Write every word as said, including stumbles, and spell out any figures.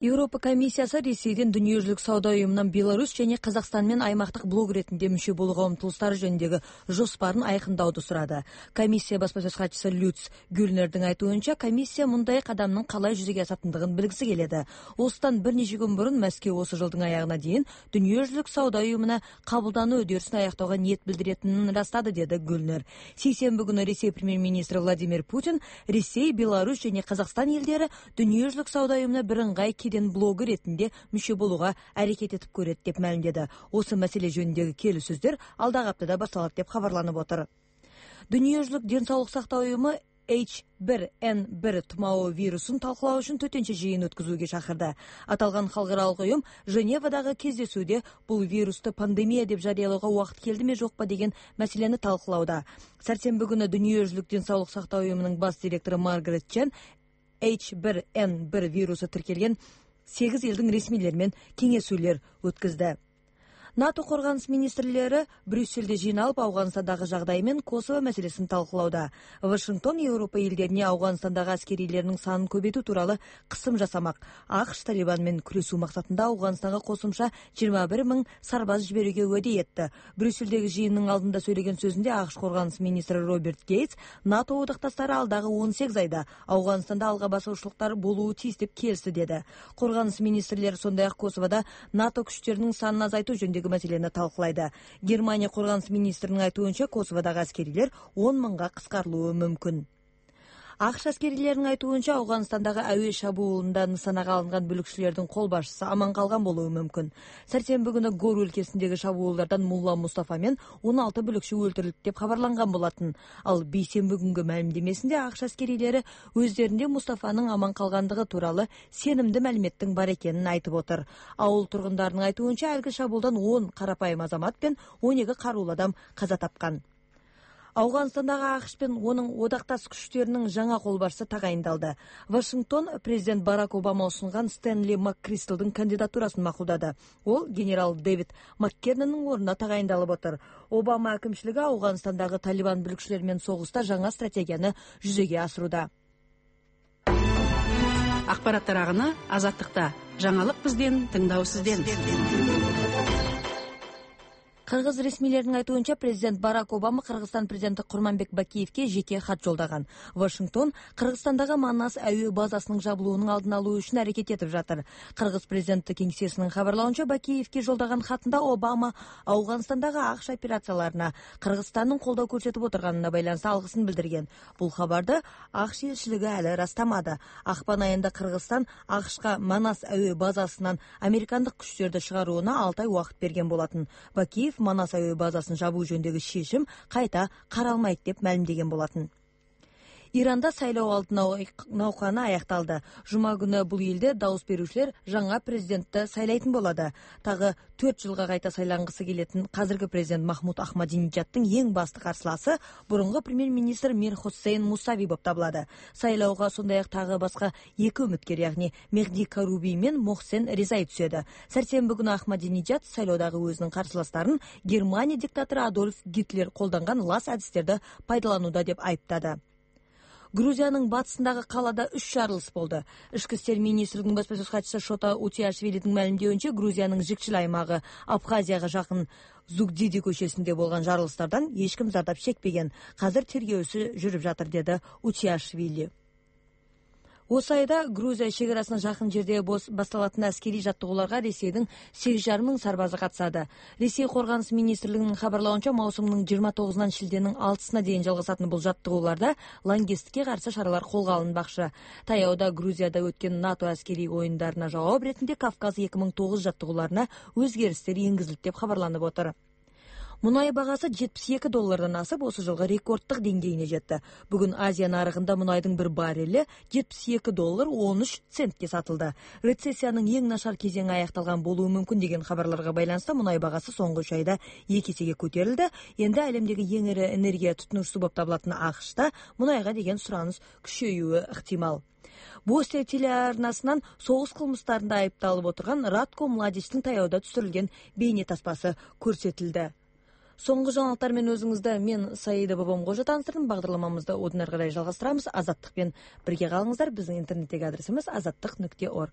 Европа комиссиясы Ресейден Дүниежүзүлүк сауда уюмунан Беларусь және Казакстан менен аймактык блок ретинде мүчө болууга умтулуштары жөнүндөгү жоспарын айкындауду сурады. Комиссия баспасөз катчысы Люц Гюльнердин айтуунча, комиссия мындай кадамдын калай жүзөгө асатындыгын билгиси келеді. Осыдан бир нече күн мурун Мәскеу осы жылдың аягына дейин Дүниежүзүлүк сауда уюмуна кабылдануу үдөрүсүн аяктоого ниет билдиретинин ырастады, деди Гюльнер. Сейсенбі күнү Ресей премьер-министри Владимир Путин Ресей, Беларусь және Казакстан элдери Дүниежүзүлүк сауда уюмуна бирыңгай блогы ретинде мүчө болууга аракет этип көрөт деп маалимдеди. Осы маселе жөнүндөгү келиссөздөр алдагы аптада башталат деп кабарланып отур. Дүниежүзүлүк ден соолук сактоо уюму эйч бир эн бир тумоо вирусун талкуулоо үчүн төтөнчө жыйын өткөзүүгө чакырды. Аталган халкыралык уюм Женевадагы кездесүүдө бул вирусту пандемия деп жарыялоого убакыт келдиби жокпу деген маселени талкуулауда. Сарсенбі күнү Дүниежүзүлүк ден соолук сактоо уюмунун бас директору Маргарет Чен эйч бир эн бир вирусу тиркелген сегиз элдин ресмилери менен кеңешүүлөр өткөздү. НАТО коргонус министрлери Брюссельде жыйналып, Афганистандагы жагдай менен Косово маселесин талкуулауда. Вашингтон Европа элдерине Афганистандагы аскерийлердин санын көбөйтүү тууралуу кысым жасамак. АКШ Талибан менен күрөшүү максатында Афганистанга косумча жыйырма бир миң сарбаз жиберүүгө уәде этти. Брюссельдеги жыйындын алдында сөйлөгөн сөзүндө АКШ коргонус министри Роберт Гейтс НАТО одакташтары алдагы он сегиз айда Афганистанда алга басушулуктар болуу тийиз деп келишти, деди. Коргонус министрлери сондай ак Косоводо НАТО күчтөрүнүн санын азайтуу жөнүндөгү маселени талкуулайды. Германия коргонус министринин айтуунча, Косоводогу аскерийлер он миңга кыскарылуу мүмкүн. АКШ аскерилеринин айтуунча, Афганистандагы абий шабуулунда нысанага алынган бүлүкчүлөрдүн кол башчысы аман калган болуу мүмкүн. Сарсенбі күнү Гор өлкесиндеги шабуулдардан Мулла Мустафа менен он алты бүлүкчү өлтүрүлдү деп кабарланган болатын. Ал бейсенбі күнгө маалимдемесинде АКШ аскерилери өздөрүндө Мустафанын аман калгандыгы тууралуу сенимдүү маалиметтин бар экенин айтып отур. Ауыл тургундарынын айтуунча, алги шабуулдан он карапайым азамат пен он эки каруулуу адам каза тапкан. Афганистандагы АКШ пен онун одакташ күчтөрүнүн жаңа кол башчысы тагайындалды. Вашингтон президент Барак Обама сунган Стэнли Маккристалдын кандидатурасын макулдады. Ол генерал Дэвид Маккернонун ордуна тагайындалып отур. Обама акимчилиги Афганистандагы Талибан бүлүкчүлөрү менен согуста жаңа стратегияны жүзөгө асырууда. Акпараттар агыны Азаттыкта. Жаңылык бизден, тыңдоо сизден. Кыргыз ресмилеринин айтуунча, президент Барак Обама Кыргызстан президенти Курманбек Бакиевке жеке хат жолдаган. Вашингтон Кыргызстандагы Манас айыл базасынын жабылуунун алдын алуу үчүн аракет этип жатыр. Кыргыз президенти кеңсесинин кабарлауынча, Бакиевке жолдаган хатында Обама Афганистандагы АКШ операцияларына Кыргызстандын колдоо көрсөтүп отурганына байланыштуу алгысын билдирген. Бул кабарды АКШ элчилиги али ырастамады. Акпан айында Кыргызстан АКШка Манас айыл базасынан американдык күчтөрдү чыгарууна алты ай убакыт берген болатын. Бакиев Манас айыл базасын жабуу жөнүндөгү чечим кайта каралмайт деп маалимдеген болатын. Иранда сайлоо алдын науканы аякталды. Жума күнү бул элде дауыс берүүчүлөр жаңа президентти сайлайтын болду. Тагы төрт жылга кайта сайлангысы келетин казыркы президент Махмуд Ахмадинежадтын эң басты карсыласы бурунку премьер-министр Мир Хусейн Мусави болуп табылады. Сайлоого сондай ак тагы башка эки үмүткер, ягни Мехди Каруби менен Мохсен Резай түшөдү. Сарсенбі күнү Ахмадинежад сайлоодагы өзүнүн карсыластарын Германия диктатору Адольф Гитлер колдонгон лас адистерди пайдаланууда деп айыптады. Грузиянын батысындагы калада үч жарылыш болду. Ички иштер министринин баспасөз катчысы Шота Утиашвилидин маалимдеуинче, Грузиянын жикчил аймагы Абхазияга жакын Зугдиди көчөсүндө болгон жарылыштардан эч ким зардап чекпеген. Казыр тергөөсү жүрүп жатыр, деди Утиашвили. Осы айда Грузия чегарасына жакын жерде башталатын аскерий жаттыгууларга Ресейдин сегиз жарым миң сарбазы катышады. Ресей коргонус министрлигинин кабарлауынча, маусымдын жыйырма тогузунан шилденин алтысына дейин жалгасатын бул жаттыгууларда лаңкестикке каршы чаралар колго алынбакчы. Таяуда Грузияда өткөн НАТО аскерий оюндарына жооп ретинде Кавказ эки миң тогуз жаттыгууларына өзгөрүштөр энгизилди деп кабарланып отур. Мунай багасы жетимиш эки доллардан асып, осы жылғы рекордтық деңгейине жетти. Бүгүн Азия нарыгында мунайдын bir баррели жетимиш эки доллар он үч центке сатылды. Рецессиянын эң нашар кезеңи аякталган болуу мүмкүн деген кабарларга байланыштуу мунай багасы соңку үч айда эки эсеге көтөрүлдү. Энди әлемдеги эң ири энергия тутунуучусу болуп табылатын АКШта мунайга деген сураныс күчөйүүгө ыктымал. Бостия телеарнасынан согуш кылмыштарында айыпталып отурган Радко Младичтин таяуда түшүрүлгөн бейне таспасы көрсөтүлдү. Соңғы жаңалықтар мен өзіңізді мен Саида Бабам Қожа таныстырдым. Бағдарламамызды одан ары қарай жалғастырамыз. Азаттықпен бірге қалыңыздар. Біздің интернеттегі адресіміз азаттық нүкте орг.